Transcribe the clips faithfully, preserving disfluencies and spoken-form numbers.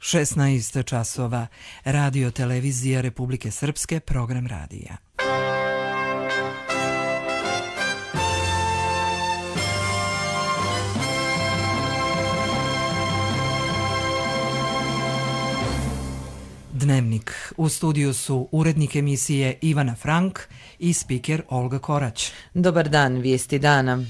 šesnaest časova. Radio televizija Republike Srpske, program radija. Dnevnik. U studiju su urednik emisije Ivana Frank i spiker Olga Korać. Dobar dan, vijesti dana.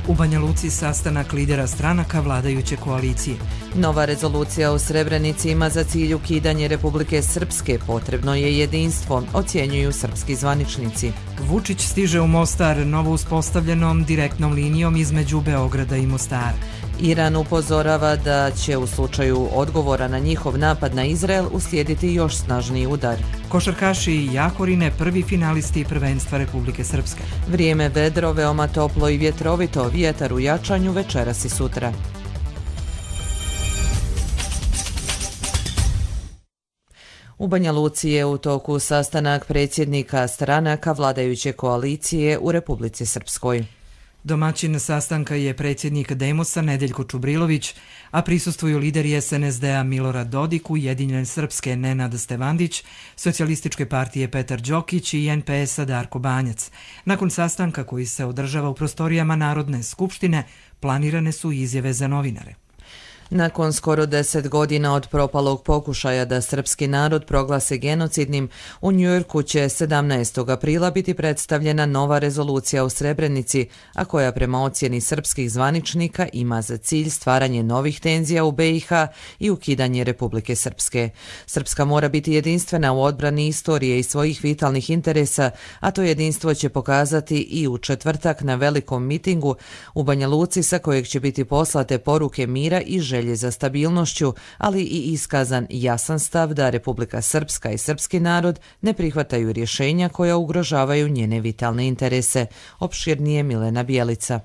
U Banja Luci sastanak lidera stranaka vladajuće koalicije. Nova rezolucija u Srebrenici ima za cilj ukidanje Republike Srpske. Potrebno je jedinstvo, ocjenjuju srpski zvaničnici. Vučić stiže u Mostar novo uspostavljenom direktnom linijom između Beograda i Mostara. Iran upozorava da će u slučaju odgovora na njihov napad na Izrael uslijediti još snažniji udar. Košarkaši Jakorine prvi finalisti prvenstva Republike Srpske. Vrijeme vedro, veoma toplo i vjetrovito, vjetar u jačanju večeras i sutra. U Banja Luci je u toku sastanak predsjednika stranaka vladajuće koalicije u Republici Srpskoj. Domaćin sastanka je predsjednik Demosa Nedeljko Čubrilović, a prisustvuju lideri S N S D-a Milorad Dodik, Ujedinjene Srpske Nenad Stevandić, Socijalističke partije Petar Đokić i N P S-a Darko Banjac. Nakon sastanka koji se održava u prostorijama Narodne skupštine, planirane su izjave za novinare. Nakon skoro deset godina od propalog pokušaja da srpski narod proglase genocidnim, u Njujorku će sedamnaestog aprila biti predstavljena nova rezolucija u Srebrenici, a koja prema ocjeni srpskih zvaničnika ima za cilj stvaranje novih tenzija u B i H i ukidanje Republike Srpske. Srpska mora biti jedinstvena u odbrani istorije i svojih vitalnih interesa, a to jedinstvo će pokazati i u četvrtak na velikom mitingu u Banja Luci, sa kojeg će biti poslate poruke mira i želje za stabilnošću, ali i iskazan jasan stav da Republika Srpska i srpski narod ne prihvataju rješenja koja ugrožavaju njene vitalne interese. Opširnije Milena Bijelica.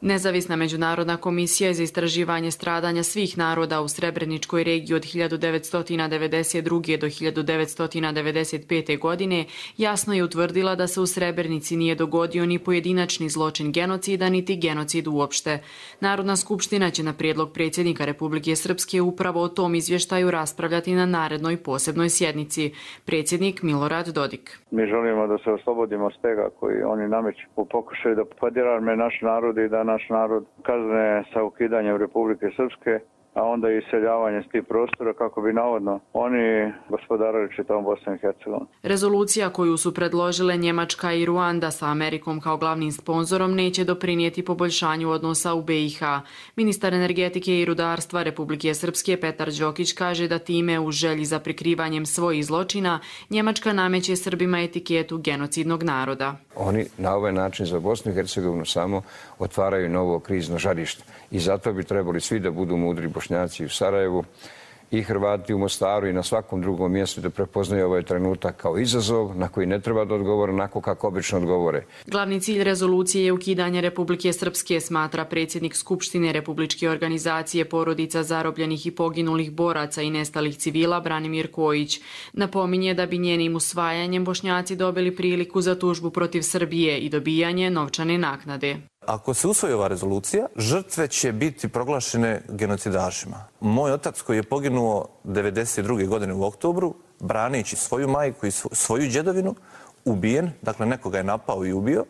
Nezavisna međunarodna komisija za istraživanje stradanja svih naroda u Srebreničkoj regiji od hiljadu devetsto devedeset druge. do hiljadu devetsto devedeset pete. godine jasno je utvrdila da se u Srebrenici nije dogodio ni pojedinačni zločin genocida, niti genocid uopšte. Narodna skupština će na prijedlog predsjednika Republike Srpske upravo o tom izvještaju raspravljati na narednoj posebnoj sjednici. Predsjednik Milorad Dodik. Mi želimo da se oslobodimo stega koji oni nameću u pokušaju da podirame naš narod i da naš narod kazne sa ukidanjem Republike Srpske, a onda i iseljavanje s tih prostora kako bi navodno oni gospodarili čitavom Bosnom i Hercegovinom. Rezolucija koju su predložile Njemačka i Ruanda sa Amerikom kao glavnim sponzorom neće doprinijeti poboljšanju odnosa u B i H. Ministar energetike i rudarstva Republike Srpske Petar Đokić kaže da time u želji za prikrivanjem svojih zločina Njemačka nameće Srbima etiketu genocidnog naroda. Oni na ovaj način za Bosnu i Hercegovinu samo otvaraju novo krizno žarište i zato bi trebali svi da budu mudri Bošnjaci u Sarajevu i Hrvati u Mostaru i na svakom drugom mjestu da prepoznaju ovaj trenutak kao izazov na koji ne treba da odgovore onako kako obično odgovore. Glavni cilj rezolucije je ukidanje Republike Srpske, smatra predsjednik Skupštine Republičke organizacije porodica zarobljenih i poginulih boraca i nestalih civila Branimir Kojić. Napominje da bi njenim usvajanjem Bošnjaci dobili priliku za tužbu protiv Srbije i dobijanje novčane naknade. Ako se usvoji ova rezolucija, žrtve će biti proglašene genocidašima. Moj otac koji je poginuo devedeset druge. godine u oktobru, braneći svoju majku i svoju djedovinu, ubijen, dakle nekoga je napao i ubio,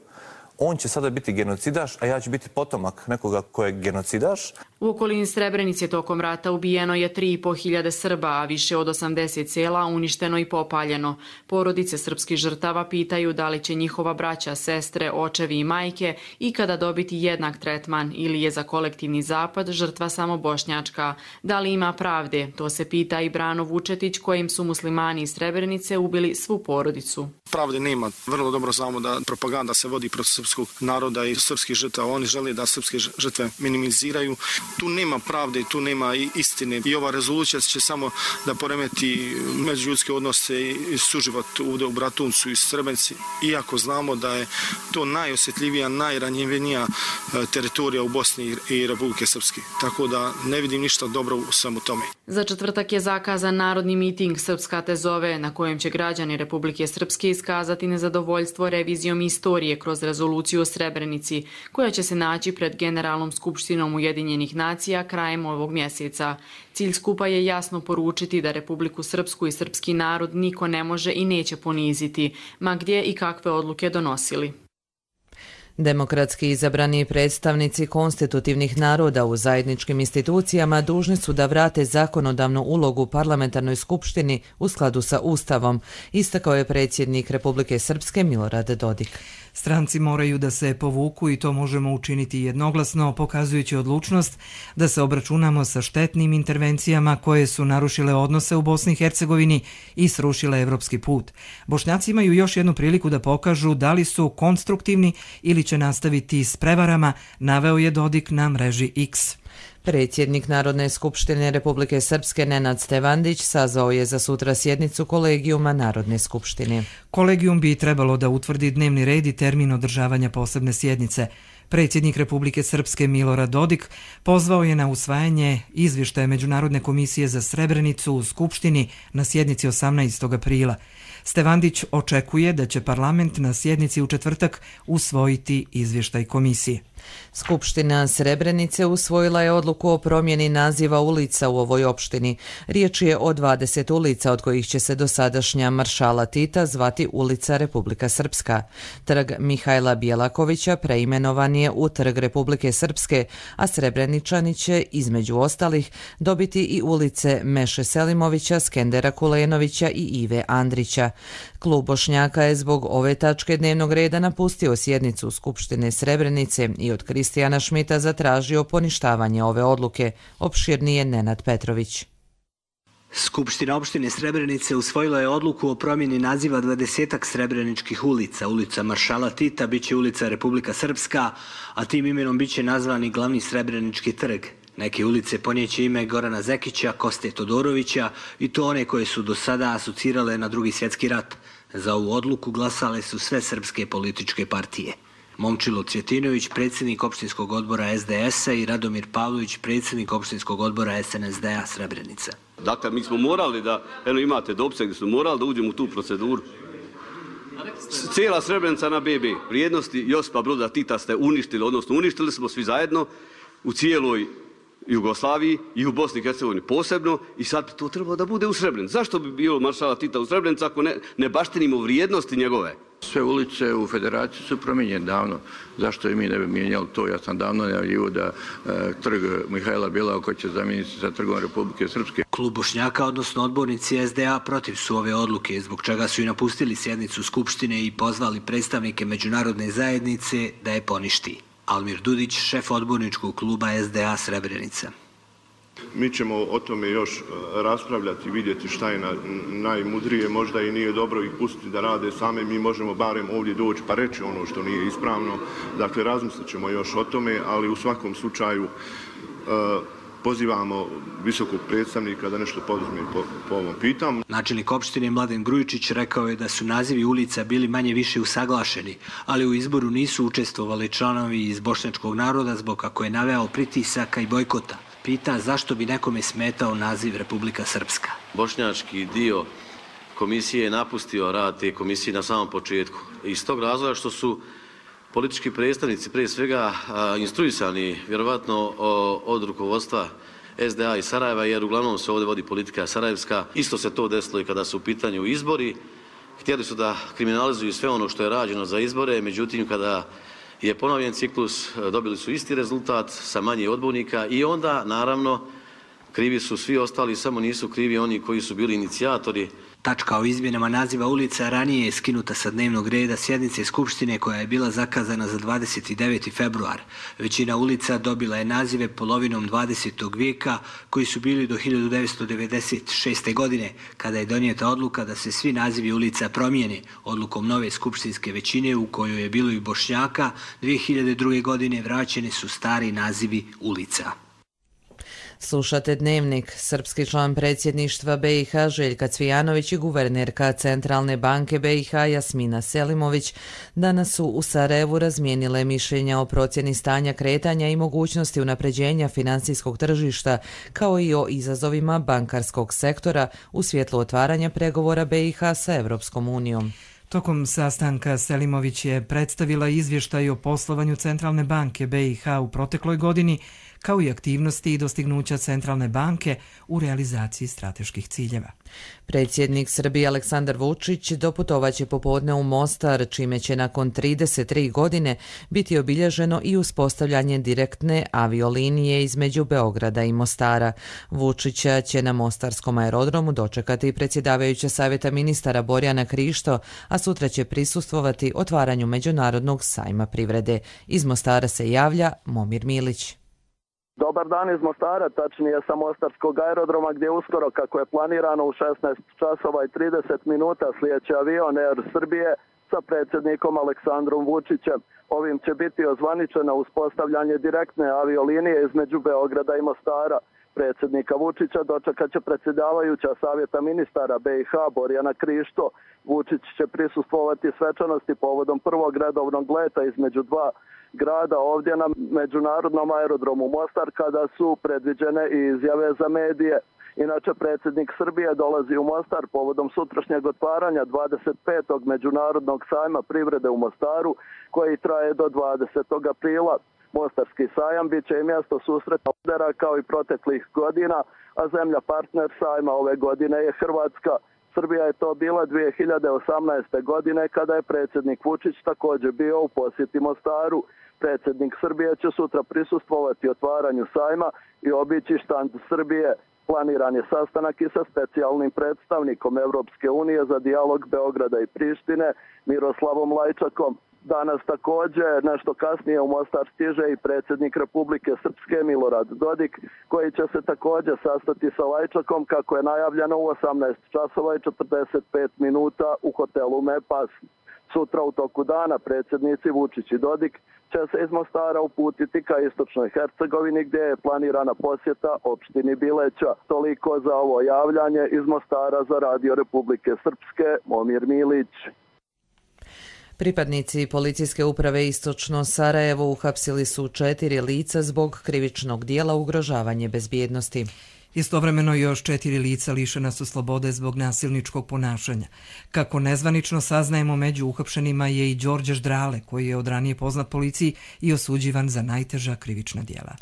on će sada biti genocidaš, a ja ću biti potomak nekoga ko je genocidaš. U okolini Srebrenice tokom rata ubijeno je tri i po hiljade Srba, a više od osamdeset sela uništeno i popaljeno. Porodice srpskih žrtava pitaju da li će njihova braća, sestre, očevi i majke ikada dobiti jednak tretman ili je za kolektivni zapad žrtva samo bošnjačka. Da li ima pravde? To se pita i Brano Vučetić, kojim su muslimani iz Srebrenice ubili svu porodicu. Pravde nema. Vrlo dobro znamo da propaganda se vodi protiv srpskog naroda i srpskih žrtava. Oni žele da srpske žrtve minimiziraju. Tu nema pravde, tu nema istine i ova rezolucija će samo da poremeti međuljudske odnose i suživot ovdje u Bratuncu i Srebrenici, iako znamo da je to najosjetljivija, najranjivenija teritorija u Bosni i Republike Srpske. Tako da ne vidim ništa dobro u svemu tome. Za četvrtak je zakazan narodni miting Srpska te zove, na kojem će građani Republike Srpske iskazati nezadovoljstvo revizijom istorije kroz rezoluciju o Srebrenici, koja će se naći pred Generalnom skupštinom Ujedinjenih nacija krajem ovog mjeseca. Cilj skupa je jasno poručiti da Republiku Srpsku i srpski narod niko ne može i neće poniziti, ma gdje i kakve odluke donosili. Demokratski izabrani predstavnici konstitutivnih naroda u zajedničkim institucijama dužni su da vrate zakonodavnu ulogu parlamentarnoj skupštini u skladu sa Ustavom, istakao je predsjednik Republike Srpske Milorad Dodik. Stranci moraju da se povuku i to možemo učiniti jednoglasno, pokazujući odlučnost da se obračunamo sa štetnim intervencijama koje su narušile odnose u Bosni i Hercegovini i srušile evropski put. Bošnjaci imaju još jednu priliku da pokažu da li su konstruktivni ili će nastaviti s prevarama, naveo je Dodik na mreži X. Predsjednik Narodne skupštine Republike Srpske Nenad Stevandić sazvao je za sutra sjednicu kolegijuma Narodne skupštine. Kolegijum bi trebalo da utvrdi dnevni red i termin održavanja posebne sjednice. Predsjednik Republike Srpske Milorad Dodik pozvao je na usvajanje izvještaja Međunarodne komisije za Srebrenicu u Skupštini na sjednici osamnaestog aprila. Stevandić očekuje da će parlament na sjednici u četvrtak usvojiti izvještaj komisije. Skupština Srebrenice usvojila je odluku o promjeni naziva ulica u ovoj opštini. Riječ je o dvadeset ulica, od kojih će se dosadašnja Maršala Tita zvati ulica Republika Srpska. Trg Mihajla Bjelakovića preimenovan je u Trg Republike Srpske, a Srebreničani će, između ostalih, dobiti i ulice Meše Selimovića, Skendera Kulenovića i Ive Andrića. Klub Bošnjaka je zbog ove tačke dnevnog reda napustio sjednicu Skupštine Srebrenice i od Kristijana Šmita zatražio poništavanje ove odluke. Opširnije Nenad Petrović. Skupština opštine Srebrenice usvojila je odluku o promjeni naziva dvadesetak srebreničkih ulica. Ulica Maršala Tita biće ulica Republika Srpska, a tim imenom biće nazvani glavni Srebrenički trg. Neke ulice ponijeće ime Gorana Zekića, Koste Todorovića i to one koje su do sada asocirale na Drugi svjetski rat. Za ovu odluku glasale su sve srpske političke partije. Momčilo Cvjetinović, predsjednik opštinskog odbora S D S-a i Radomir Pavlović, predsjednik opštinskog odbora S N S D-a Srebrenica. Dakle, mi smo morali da, eno imate dopise gdje smo morali da uđemo u tu proceduru. Cijela Srebrenica na B B. Vrijednosti Josipa Broza Tita ste uništili, odnosno uništili smo svi zajedno u cijeloj Jugoslaviji i u Bosni i Hercegovini posebno i sad bi to trebalo da bude u Srebrenici. Zašto bi bilo Maršala Tita u Srebrenici ako ne, ne baštinimo vrijednosti njegove? Sve ulice u federaciji su promijenjene davno. Zašto i mi ne bi mijenjali to? Ja sam davno najavljivo da e, trg Mihajla Bjelakovića će zamijeniti sa trgom Republike Srpske. Klub Bošnjaka, odnosno odbornici S D A, protiv su ove odluke, zbog čega su i napustili sjednicu Skupštine i pozvali predstavnike međunarodne zajednice da je poništi. Almir Dudić, šef odborničkog kluba S D A Srebrenica. Mi ćemo o tome još raspravljati, vidjeti šta je na, najmudrije, možda i nije dobro ih pustiti da rade same, mi možemo barem ovdje doći pa reći ono što nije ispravno. Dakle, razmislit ćemo još o tome, ali u svakom slučaju uh, pozivamo visokog predstavnika da nešto poduzme po, po ovom pitanju. Načelnik opštine Mladen Grujičić rekao je da su nazivi ulica bili manje više usaglašeni, ali u izboru nisu učestvovali članovi iz bošnjačkog naroda zbog kako je naveo pritisaka i bojkota. Pita zašto bi nekome smetao naziv Republika Srpska. Bošnjački dio komisije je napustio rad te komisije na samom početku. Iz tog razloga što su politički predstavnici prije svega instruisani vjerovatno od rukovodstva S D A i Sarajeva, jer uglavnom se ovdje vodi politika sarajevska. Isto se to desilo i kada su u pitanju izbori. Htjeli su da kriminalizuju sve ono što je rađeno za izbore, međutim kada je ponovljen ciklus, dobili su isti rezultat sa manje odbornika i onda naravno Krivi su svi ostali, samo nisu krivi oni koji su bili inicijatori. Tačka o izmjenama naziva ulica ranije je skinuta sa dnevnog reda sjednice Skupštine koja je bila zakazana za dvadeset deveti februar. Većina ulica dobila je nazive polovinom dvadesetog vijeka koji su bili do hiljadu devetsto devedeset šeste. godine kada je donijeta odluka da se svi nazivi ulica promijene. Odlukom nove skupštinske većine u kojoj je bilo i Bošnjaka dvije hiljade druge. godine vraćeni su stari nazivi ulica. Slušate Dnevnik. Srpski član predsjedništva B i H Željka Cvijanović i guvernerka Centralne banke B i H Jasmina Selimović danas su u Sarajevu razmijenile mišljenja o procjeni stanja kretanja i mogućnosti unapređenja financijskog tržišta kao i o izazovima bankarskog sektora u svjetlu otvaranja pregovora B i H sa Evropskom unijom. Tokom sastanka Selimović je predstavila izvještaj o poslovanju Centralne banke B i H u protekloj godini, kao i aktivnosti i dostignuća Centralne banke u realizaciji strateških ciljeva. Predsjednik Srbije Aleksandar Vučić doputovaće popodne u Mostar, čime će nakon trideset tri godine biti obilježeno i uspostavljanje direktne aviolinije između Beograda i Mostara. Vučića će na mostarskom aerodromu dočekati predsjedavajuća Savjeta ministara Borjana Krišto, a sutra će prisustvovati otvaranju Međunarodnog sajma privrede. Iz Mostara se javlja Momir Milić. Dobar dan iz Mostara, tačnije sa Mostarskog aerodroma gdje uskoro, kako je planirano, u šesnaest časova i trideset minuta slijeće avion Air Srbije sa predsjednikom Aleksandrom Vučićem. Ovim će biti ozvaničeno uspostavljanje direktne aviolinije između Beograda i Mostara. Predsjednika Vučića dočekat će predsjedavajuća Savjeta ministara B i H Borjana Krišto. Vučić će prisustvovati svečanosti povodom prvog redovnog leta između dva grada ovdje na Međunarodnom aerodromu Mostar, kada su predviđene i izjave za medije. Inače, predsjednik Srbije dolazi u Mostar povodom sutrašnjeg otvaranja dvadeset petog Međunarodnog sajma privrede u Mostaru, koji traje do dvadesetog aprila. Mostarski sajam bit će i mjesto susreta lidera kao i proteklih godina, a zemlja partner sajma ove godine je Hrvatska. Srbija je to bila dvije hiljade osamnaeste. godine kada je predsjednik Vučić također bio u posjeti Mostaru. Predsjednik Srbije će sutra prisustvovati otvaranju sajma i obići štand Srbije. Planiran je sastanak i sa specijalnim predstavnikom Evropske unije za dijalog Beograda i Prištine, Miroslavom Lajčakom. Danas također, nešto kasnije, u Mostar stiže i predsjednik Republike Srpske Milorad Dodik, koji će se također sastati sa Lajčakom, kako je najavljeno, u osamnaest časova i četrdeset pet minuta u hotelu Mepas. Sutra u toku dana predsjednici Vučić i Dodik će se iz Mostara uputiti ka istočnoj Hercegovini, gdje je planirana posjeta opštini Bileća. Toliko za ovo javljanje iz Mostara za Radio Republike Srpske, Momir Milić. Pripadnici policijske uprave Istočno Sarajevo uhapsili su četiri lica zbog krivičnog dijela ugrožavanje bezbjednosti. Istovremeno još četiri lica lišena su slobode zbog nasilničkog ponašanja. Kako nezvanično saznajemo, među uhapšenima je i Đorđe Ždrale, koji je od ranije poznat policiji i osuđivan za najteža krivična dijela.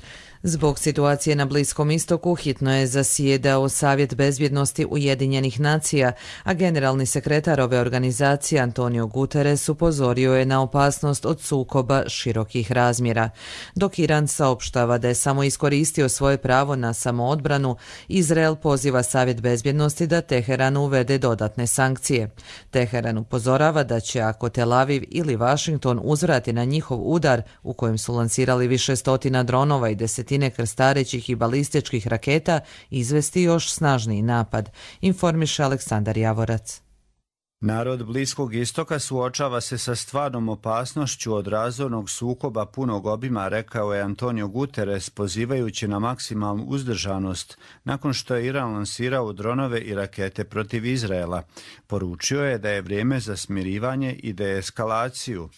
Zbog situacije na Bliskom istoku hitno je zasjedao Savjet bezbjednosti Ujedinjenih nacija, a generalni sekretar ove organizacije Antonio Guterres upozorio je na opasnost od sukoba širokih razmjera. Dok Iran saopštava da je samo iskoristio svoje pravo na samoodbranu, Izrael poziva Savjet bezbjednosti da Teheran uvede dodatne sankcije. Teheran upozorava da će, ako Tel Aviv ili Washington uzvrati na njihov udar, u kojem su lansirali više stotina dronova i desetine krstarećih i balističkih raketa, izvesti još snažniji napad, informiše Aleksandar Javorac. Narod Bliskog istoka suočava se sa stvarnom opasnošću od razornog sukoba punog obima, rekao je Antonio Guterres, pozivajući na maksimalnu uzdržanost nakon što je Iran lansirao dronove i rakete protiv Izraela. Poručio je da je vrijeme za smirivanje i deeskalaciju.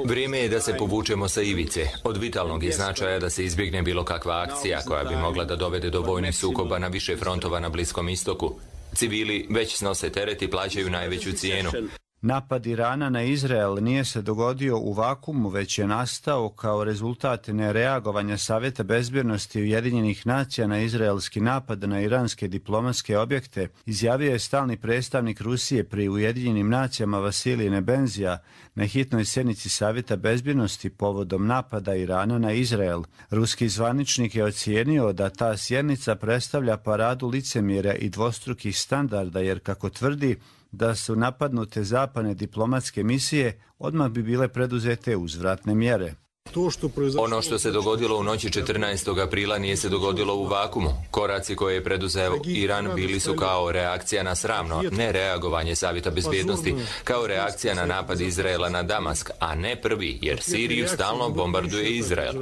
Vrijeme je da se povučemo sa ivice. Od vitalnog je značaja da se izbjegne bilo kakva akcija koja bi mogla da dovede do vojnih sukoba na više frontova na Bliskom istoku. Civili već snose teret i plaćaju najveću cijenu. Napad Irana na Izrael nije se dogodio u vakumu, već je nastao kao rezultat nereagovanja Savjeta bezbjednosti Ujedinjenih nacija na izraelski napad na iranske diplomatske objekte, izjavio je stalni predstavnik Rusije pri Ujedinjenim nacijama Vasilij Nebenzija na hitnoj sjednici Savjeta bezbjednosti povodom napada Irana na Izrael. Ruski zvaničnik je ocijenio da ta sjednica predstavlja paradu licemjerja i dvostrukih standarda, jer kako tvrdi da su napadnute zapadne diplomatske misije, odmah bi bile preduzete uzvratne mjere. Ono što se dogodilo u noći četrnaestog aprila nije se dogodilo u vakumu. Koraci koje je preduzeo Iran bili su kao reakcija na sramno nereagovanje Savjeta bezbjednosti, kao reakcija na napad Izraela na Damask, a ne prvi, jer Siriju stalno bombarduje Izrael.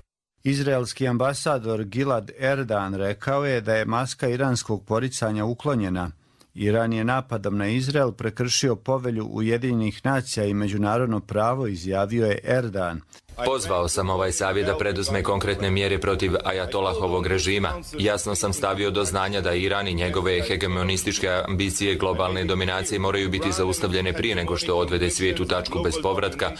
Izraelski ambasador Gilad Erdan rekao je da je maska iranskog poricanja uklonjena. Iran je napadom na Izrael prekršio povelju Ujedinjenih nacija i međunarodno pravo, izjavio je Erdan. Pozvao sam ovaj savjet da preduzme konkretne mjere protiv ajatolahovog režima. Jasno sam stavio do znanja da Iran i njegove hegemonističke ambicije globalne dominacije moraju biti zaustavljene prije nego što odvede svijet u tačku bez povratka.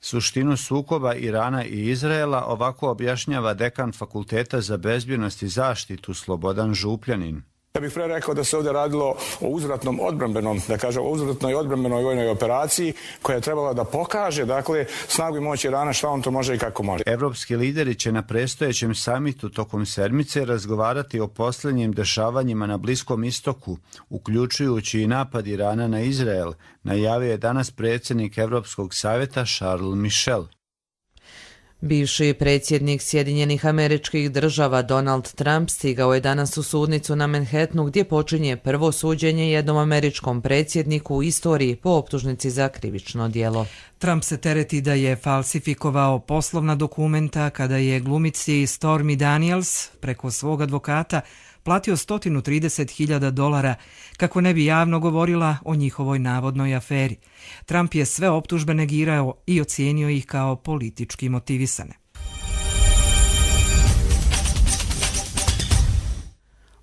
Suštinu sukoba Irana i Izraela ovako objašnjava dekan Fakulteta za bezbjednost i zaštitu Slobodan Župljanin. Ja bih pre rekao da se ovdje radilo o uzvratnom odbrambenom, da kažem, o uzvratnoj odbrambenoj vojnoj operaciji koja je trebala da pokaže, dakle, snagu i moć Irana, šta on to može i kako može. Evropski lideri će na predstojećem samitu tokom sedmice razgovarati o posljednjim dešavanjima na Bliskom istoku, uključujući i napad Irana na Izrael, najavio je danas predsjednik Evropskog savjeta Charles Michel. Bivši predsjednik Sjedinjenih Američkih Država Donald Trump stigao je danas u sudnicu na Manhattanu gdje počinje prvo suđenje jednom američkom predsjedniku u istoriji po optužnici za krivično djelo. Trump se tereti da je falsifikovao poslovna dokumenta kada je glumici Stormy Daniels preko svog advokata platio sto trideset hiljada dolara kako ne bi javno govorila o njihovoj navodnoj aferi. Trump je sve optužbe negirao i ocijenio ih kao politički motivisane.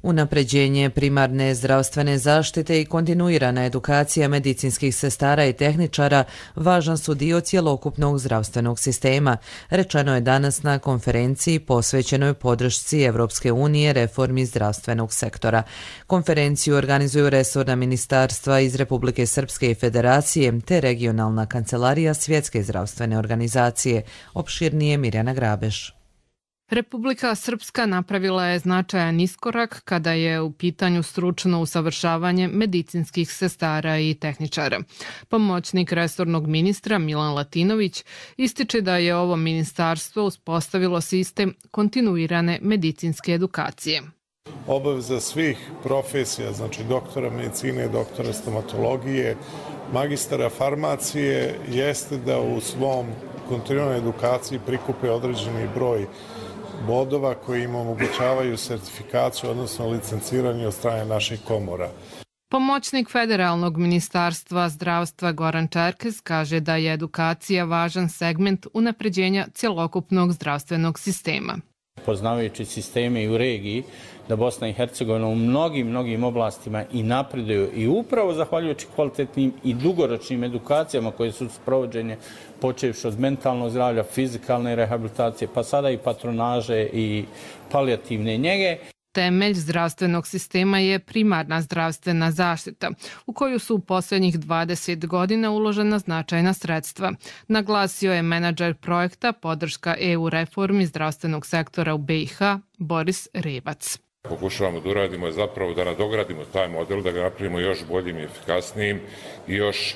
Unapređenje primarne zdravstvene zaštite i kontinuirana edukacija medicinskih sestara i tehničara važan su dio cjelokupnog zdravstvenog sistema, rečeno je danas na konferenciji posvećenoj podršci Evropske unije reformi zdravstvenog sektora. Konferenciju organizuju resorna ministarstva iz Republike Srpske i Federacije te regionalna kancelarija Svjetske zdravstvene organizacije. Opširnije Mirjana Grabeš. Republika Srpska napravila je značajan iskorak kada je u pitanju stručno usavršavanje medicinskih sestara i tehničara. Pomoćnik resornog ministra Milan Latinović ističe da je ovo ministarstvo uspostavilo sistem kontinuirane medicinske edukacije. Obaveza svih profesija, znači doktora medicine, doktora stomatologije, magistara farmacije, jeste da u svom kontinuiranoj edukaciji prikupe određeni broj bodova koji im omogućavaju sertifikaciju, odnosno licenciranje od strane naših komora. Pomoćnik Federalnog ministarstva zdravstva Goran Čerkes kaže da je edukacija važan segment unapređenja cjelokupnog zdravstvenog sistema. Poznavajući sisteme i u regiji, da Bosna i Hercegovina u mnogim, mnogim oblastima i napreduju i upravo zahvaljujući kvalitetnim i dugoročnim edukacijama koje su sprovođenje počevši od mentalnog zdravlja, fizikalne rehabilitacije, pa sada i patronaže i palijativne njege. Temelj zdravstvenog sistema je primarna zdravstvena zaštita, u koju su u posljednjih dvadeset godina uložena značajna sredstva. Naglasio je menadžer projekta podrška E U reformi zdravstvenog sektora u B i H Boris Revac. Pokušavamo da uradimo je zapravo da nadogradimo taj model, da ga napravimo još boljim i efikasnijim i još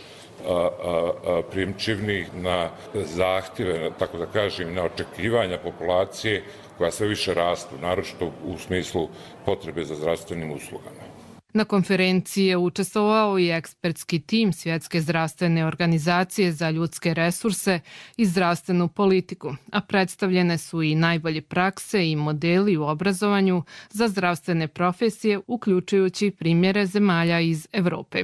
primčivnih na zahtjeve, tako da kažem, na očekivanja populacije koja sve više rastu, naročito u smislu potrebe za zdravstvenim uslugama. Na konferenciji je učestvovao i ekspertski tim Svjetske zdravstvene organizacije za ljudske resurse i zdravstvenu politiku, a predstavljene su i najbolje prakse i modeli u obrazovanju za zdravstvene profesije, uključujući primjere zemalja iz Evrope.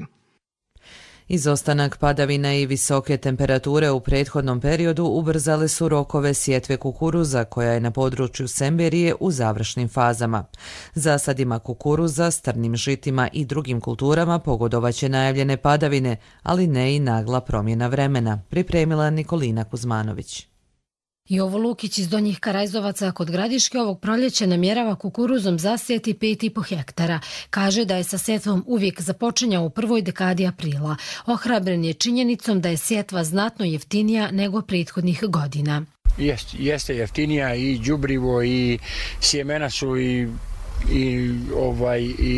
Izostanak padavina i visoke temperature u prethodnom periodu ubrzale su rokove sjetve kukuruza koja je na području Semberije u završnim fazama. Zasadima kukuruza, strnim žitima i drugim kulturama pogodovaće najavljene padavine, ali ne i nagla promjena vremena, pripremila Nikolina Kuzmanović. Jovo Lukić iz Donjih Karajzovaca kod Gradiške ovog proljeća namjerava kukuruzom zasijeti pet i po hektara. Kaže da je sa sjetvom uvijek započinjao u prvoj dekadi aprila. Ohrabren je činjenicom da je sjetva znatno jeftinija nego prethodnih godina. Jeste, jeste jeftinija i đubrivo i sjemena su i i ovaj i,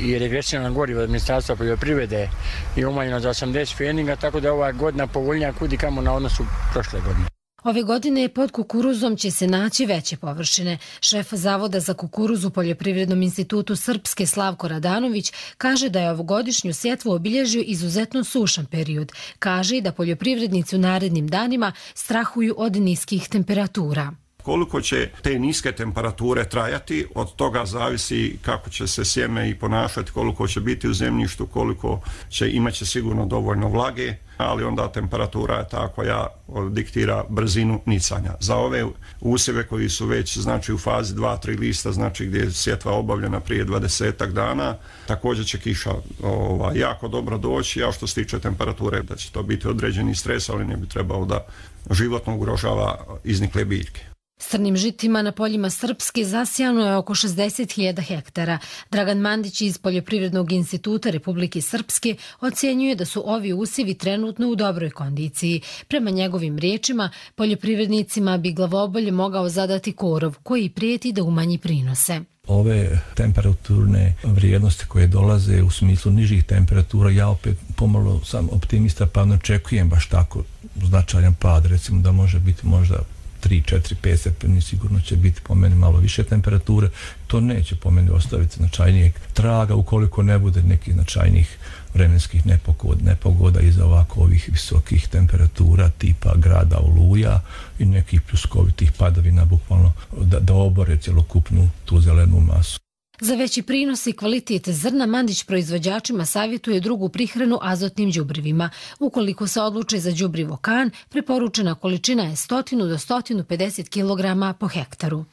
i regresivna goriva od Ministarstva poljoprivrede i umanjeno za osamdeset pfenninga, tako da je ova godina povoljnija kudi kamo na odnosu prošle godine. Ove godine pod kukuruzom će se naći veće površine. Šef Zavoda za kukuruz u Poljoprivrednom institutu Srpske Slavko Radanović kaže da je ovogodišnju sjetvu obilježio izuzetno sušan period. Kaže i da poljoprivrednici u narednim danima strahuju od niskih temperatura. Koliko će te niske temperature trajati, od toga zavisi kako će se sjeme i ponašati, koliko će biti u zemljištu, koliko će imaće sigurno dovoljno vlage, ali onda temperatura je ta koja diktira brzinu nicanja. Za ove usjeve koji su već znači u fazi dva tri lista, znači gdje je sjetva obavljena prije dvadesetak dana, također će kiša ova, jako dobro doći, a što se tiče temperature da će to biti određeni stres, ali ne bi trebalo da životno ugrožava iznikle biljke. Strnim žitima na poljima Srpske zasijano je oko šezdeset hiljada hektara. Dragan Mandić iz Poljoprivrednog instituta Republike Srpske ocjenjuje da su ovi usjevi trenutno u dobroj kondiciji. Prema njegovim riječima, poljoprivrednicima bi glavobolje mogao zadati korov koji prijeti da umanji prinose. Ove temperaturne vrijednosti koje dolaze u smislu nižih temperatura, ja opet pomalo sam optimista pa ne očekujem baš tako značajan pad, recimo da može biti možda tri, četiri, pet stepeni, sigurno će biti po meni malo više temperature. To neće po meni ostaviti značajnijeg traga ukoliko ne bude nekih značajnijih vremenskih nepogoda, nepogoda iza ovako ovih visokih temperatura tipa grada Oluja i nekih pljuskovitih padavina bukvalno da, da obore cjelokupnu tu zelenu masu. Za veći prinos i kvalitet zrna Mandić proizvođačima savjetuje drugu prihranu azotnim đubrivima. Ukoliko se odluče za đubrivo kan, preporučena količina je sto do sto pedeset kilograma po hektaru.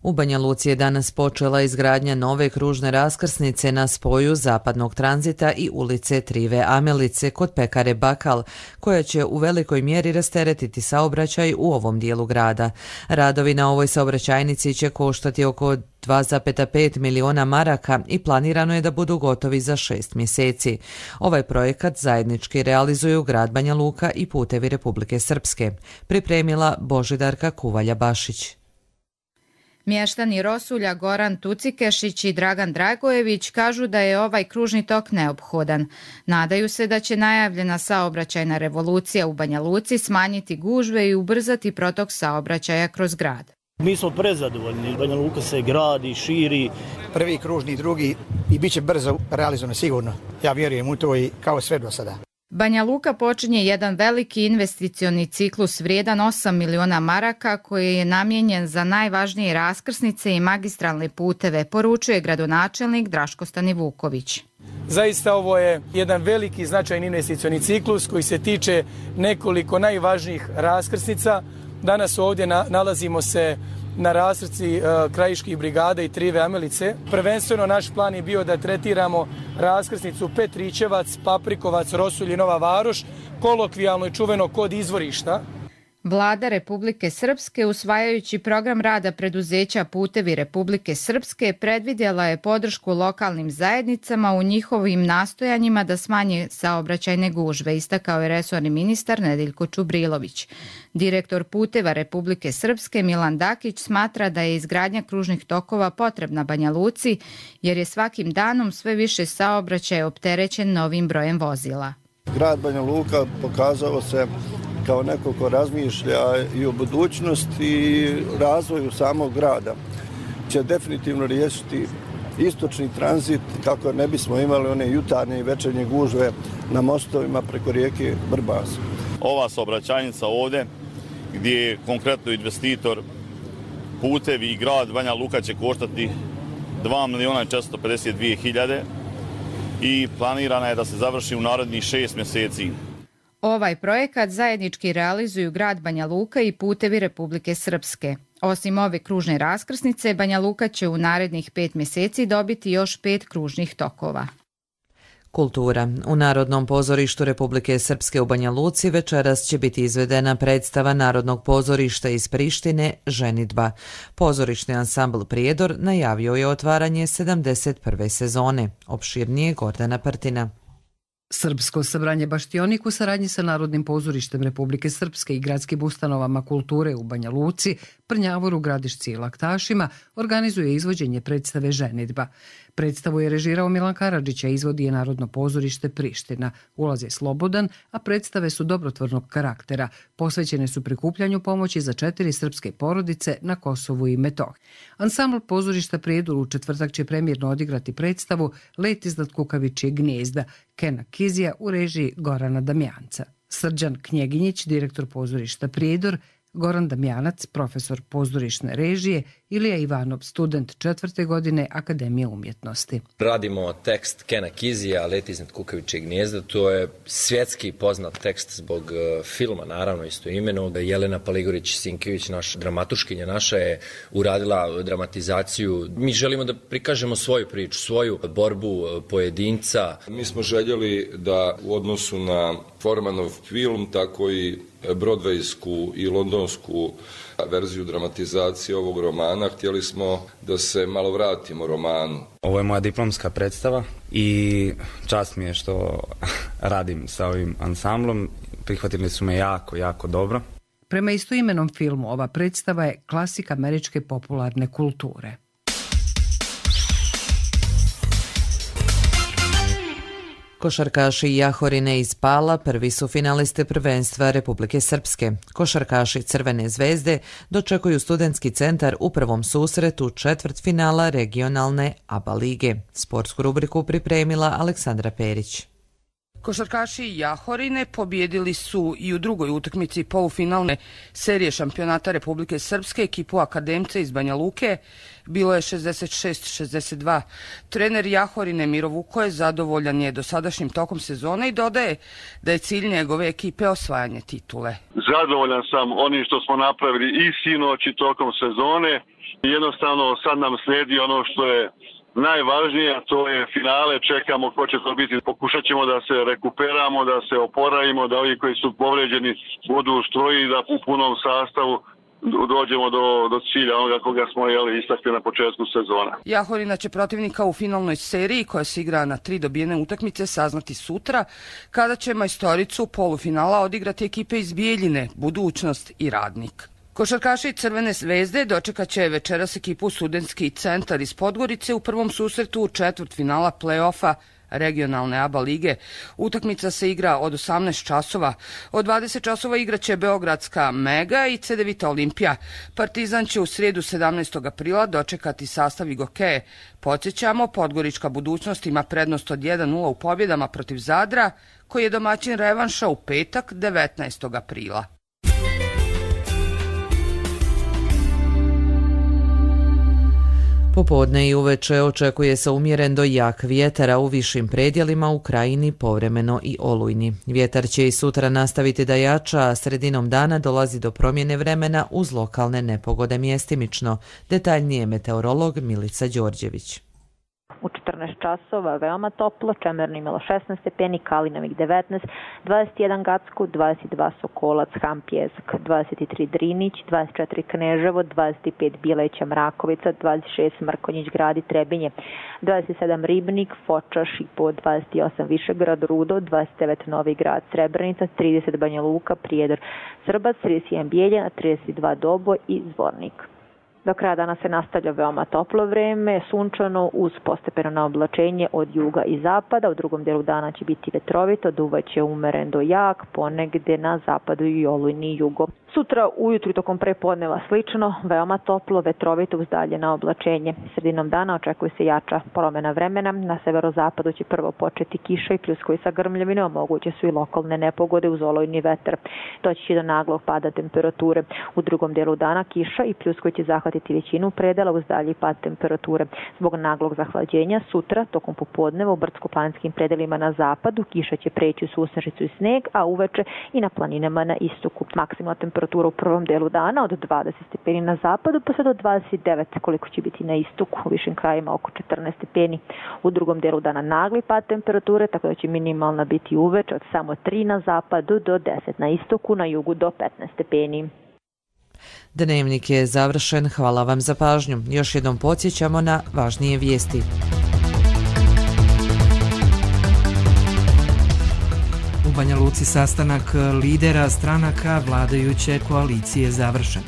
U Banja Luci je danas počela izgradnja nove kružne raskrsnice na spoju zapadnog tranzita i ulice Trive Amelice kod pekare Bakal, koja će u velikoj mjeri rasteretiti saobraćaj u ovom dijelu grada. Radovi na ovoj saobraćajnici će koštati oko dva zarez pet miliona maraka i planirano je da budu gotovi za šest mjeseci. Ovaj projekat zajednički realizuju grad Banja Luka i Putevi Republike Srpske. Pripremila Božidarka Kuvalja-Bašić. Mještani Rosulja Goran Tucikešić i Dragan Dragojević kažu da je ovaj kružni tok neophodan. Nadaju se da će najavljena saobraćajna revolucija u Banja Luci smanjiti gužve i ubrzati protok saobraćaja kroz grad. Mi smo prezadovoljni. Banja Luka se gradi, širi. Prvi kružni, drugi i bit će brzo realizovano sigurno. Ja vjerujem u to i kao sve do sada. Banja Luka počinje jedan veliki investicioni ciklus vrijedan osam miliona maraka koji je namijenjen za najvažnije raskrsnice i magistralne puteve, poručuje gradonačelnik Draško Stanivuković. Zaista ovo je jedan veliki značajni investicioni ciklus koji se tiče nekoliko najvažnijih raskrsnica. Danas ovdje na, nalazimo se na raskrsti e, krajiških brigada i Trive Amelice. Prvenstveno naš plan je bio da tretiramo raskrsnicu Petrićevac, Paprikovac, Rosulj i Nova Varoš, kolokvijalno i čuveno kod izvorišta. Vlada Republike Srpske, usvajajući program rada preduzeća Putevi Republike Srpske, predvidjela je podršku lokalnim zajednicama u njihovim nastojanjima da smanje saobraćajne gužve, istakao je resorni ministar Nedeljko Čubrilović. Direktor Puteva Republike Srpske Milan Dakić smatra da je izgradnja kružnih tokova potrebna Banja Luci, jer je svakim danom sve više saobraćaj opterećen novim brojem vozila. Grad Banja Luka pokazao se kao neko ko razmišlja i o budućnosti i razvoju samog grada. Će definitivno riješiti istočni tranzit kako ne bismo imali one jutarnje i večernje gužve na mostovima preko rijeke Vrbas. Ova saobraćajnica ovdje gdje je konkretno investitor Putevi i grad Banja Luka će koštati dva miliona četiristo pedeset dvije hiljade. i planirana je da se završi u narednih šest mjeseci. Ovaj projekat zajednički realizuju grad Banja Luka i Putevi Republike Srpske. Osim ove kružne raskrsnice, Banja Luka će u narednih pet mjeseci dobiti još pet kružnih tokova. Kultura. U Narodnom pozorištu Republike Srpske u Banja Luci večeras će biti izvedena predstava Narodnog pozorišta iz Prištine Ženidba. Pozorišni ansambl Prijedor najavio je otvaranje sedamdeset prve sezone. Opširnije Gordana Partina. Srpsko sabranje Baštionik u saradnji sa Narodnim pozorištem Republike Srpske i gradskim ustanovama kulture u Banja Luci, Prnjavoru, Gradišci i Laktašima organizuje izvođenje predstave Ženidba. Predstavu je režirao Milan Karadžić, a izvodi je Narodno pozorište Priština. Ulaz je slobodan, a predstave su dobrotvornog karaktera. Posvećene su prikupljanju pomoći za četiri srpske porodice na Kosovu i Metohiji. Ansambl pozorišta Prijedor u četvrtak će premijerno odigrati predstavu Let iznad kukavičjeg gnijezda Kena Kizija u režiji Gorana Damjanca. Srđan Knjeginjić, direktor pozorišta Prijedor, Goran Damjanac, profesor pozorišne režije, Ilija Ivanov, student četvrte godine Akademije umjetnosti. Radimo tekst Kena Kizija, Let iznad kukavičjeg gnijezda. To je svjetski poznat tekst zbog uh, filma, naravno isto imeno. Jelena Paligorić-Sinkević, naš dramatuškinja naša, je uradila dramatizaciju. Mi želimo da prikažemo svoju priču, svoju borbu pojedinca. Mi smo željeli da u odnosu na Formanov film, tako i brodvejsku i londonsku verziju dramatizacije ovog romana, htjeli smo da se malo vratimo romanu. Ovo je moja diplomska predstava i čast mi je što radim sa ovim ansamblom. Prihvatili su me jako, jako dobro. Prema istoimenom filmu, ova predstava je klasik američke popularne kulture. Košarkaši Jahorine iz Pala prvi su finaliste prvenstva Republike Srpske. Košarkaši Crvene zvezde dočekuju studentski centar u prvom susretu četvrtfinala regionalne A B A lige. Sportsku rubriku pripremila Aleksandra Perić. Košarkaši Jahorine pobjedili su i u drugoj utakmici polufinalne serije šampionata Republike Srpske ekipu Akademce iz Banja Luke. Bilo je šezdeset šest šezdeset dva. Trener Jahorine Miro Vuko je zadovoljan je dosadašnjim tokom sezone i dodaje da je cilj njegove ekipe osvajanje titule. Zadovoljan sam onim što smo napravili i sinoć i tokom sezone. Jednostavno sad nam slijedi ono što je najvažnije, a to je finale, čekamo ko će to biti. Pokušat ćemo da se rekuperamo, da se oporavimo, da ovi koji su povređeni budu u stroji, da u punom sastavu dođemo do, do cilja onoga koga smo jeli istakli na početku sezona. Jahorina će protivnika u finalnoj seriji koja se igra na tri dobijene utakmice saznati sutra, kada će majstoricu polufinala odigrati ekipe iz Bijeljine, Budućnost i Radnik. Košarkaši Crvene zvezde dočekat će večeras ekipu Studentski centar iz Podgorice u prvom susretu četvrtfinala play-offa regionalne A B A lige. Utakmica se igra od osamnaest časova. Od dvadeset časova igraće Beogradska Mega i Cedevita Olimpija. Partizan će u srijedu sedamnaestog aprila dočekati sastav Igokeje. Podsjećamo, Podgorička Budućnost ima prednost od jedan nula u pobjedama protiv Zadra, koji je domaćin revanša u petak devetnaestog aprila. Popodne i uveče očekuje se umjeren do jak vjetar, a u višim predjelima u krajini povremeno i olujni. Vjetar će i sutra nastaviti da jača, a sredinom dana dolazi do promjene vremena uz lokalne nepogode mjestimično. Detaljnije meteorolog Milica Đorđević. U četrnaest časova veoma toplo, Čemerno imalo šesnaest stepeni, Kalinovik devetnaest, dvadeset jedan Gacko, dvadeset dva Sokolac, Hampjesk, dvadeset tri Drinić, dvadeset četiri Kneževo, dvadeset pet Bileća, Mrakovica, dvadeset šest Mrkonjić, Gradi, Trebinje, dvadeset sedam Ribnik, Foča, Šipo, dvadeset osam Višegrad, Rudo, dvadeset devet Novi Grad, Srebrenica, trideset Banja Luka, Prijedor, Srbac, trideset jedan Bijeljina, trideset dva Doboj i Zvornik. Do kraja dana se nastavlja veoma toplo vreme, sunčano uz postepeno naoblačenje od juga i zapada. U drugom dijelu dana će biti vetrovito, duvaće umeren do jak, ponegde na zapadu i olujni jugo. Sutra ujutru tokom prepodneva slično, veoma toplo, vetrovito uz daljena oblačenje. Sredinom dana očekuje se jača promjena vremena. Na severozapadu će prvo početi kiša i pljuskovi sa grmljavinom, moguće su i lokalne nepogode uz olujni vetar. Doći će do naglog pada temperature. U drugom dijelu dana kiša i pljuskovi će zahvatiti većinu predela uz dalji pad temperature. Zbog naglog zahlađenja sutra tokom popodneva u brdsko-planinskim predelima na zapadu kiša će preći u susnežicu i sneg, a uveče i na planinama na istoku. Maksimalna temperatura u prvom delu dana od dvadeset stepeni na zapadu pa sve do dvadeset devet koliko će biti na istoku, u višim krajima oko četrnaest stepeni. U drugom delu dana nagli pad temperature, tako da će minimalna biti uveče od samo tri na zapadu do deset na istoku, na jugu do petnaest stepeni. Dnevnik je završen, hvala vam za pažnju. Još jednom podsjećamo na važnije vijesti. U Banja Luci sastanak lidera stranaka vladajuće koalicije završen.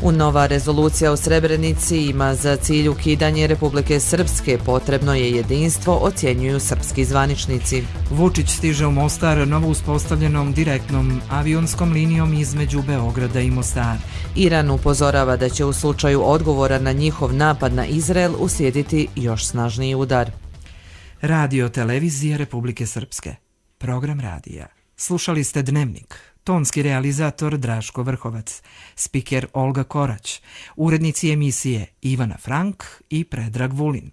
U nova rezolucija u Srebrenici ima za cilj ukidanje Republike Srpske, potrebno je jedinstvo, ocjenjuju srpski zvaničnici. Vučić stiže u Mostar novo uspostavljenom direktnom avionskom linijom između Beograda i Mostara. Iran upozorava da će u slučaju odgovora na njihov napad na Izrael uslijediti još snažniji udar. Radio Televizija Republike Srpske. Program radija. Slušali ste Dnevnik. Tonski realizator Draško Vrhovac, spiker Olga Korać, urednici emisije Ivana Frank i Predrag Vulin.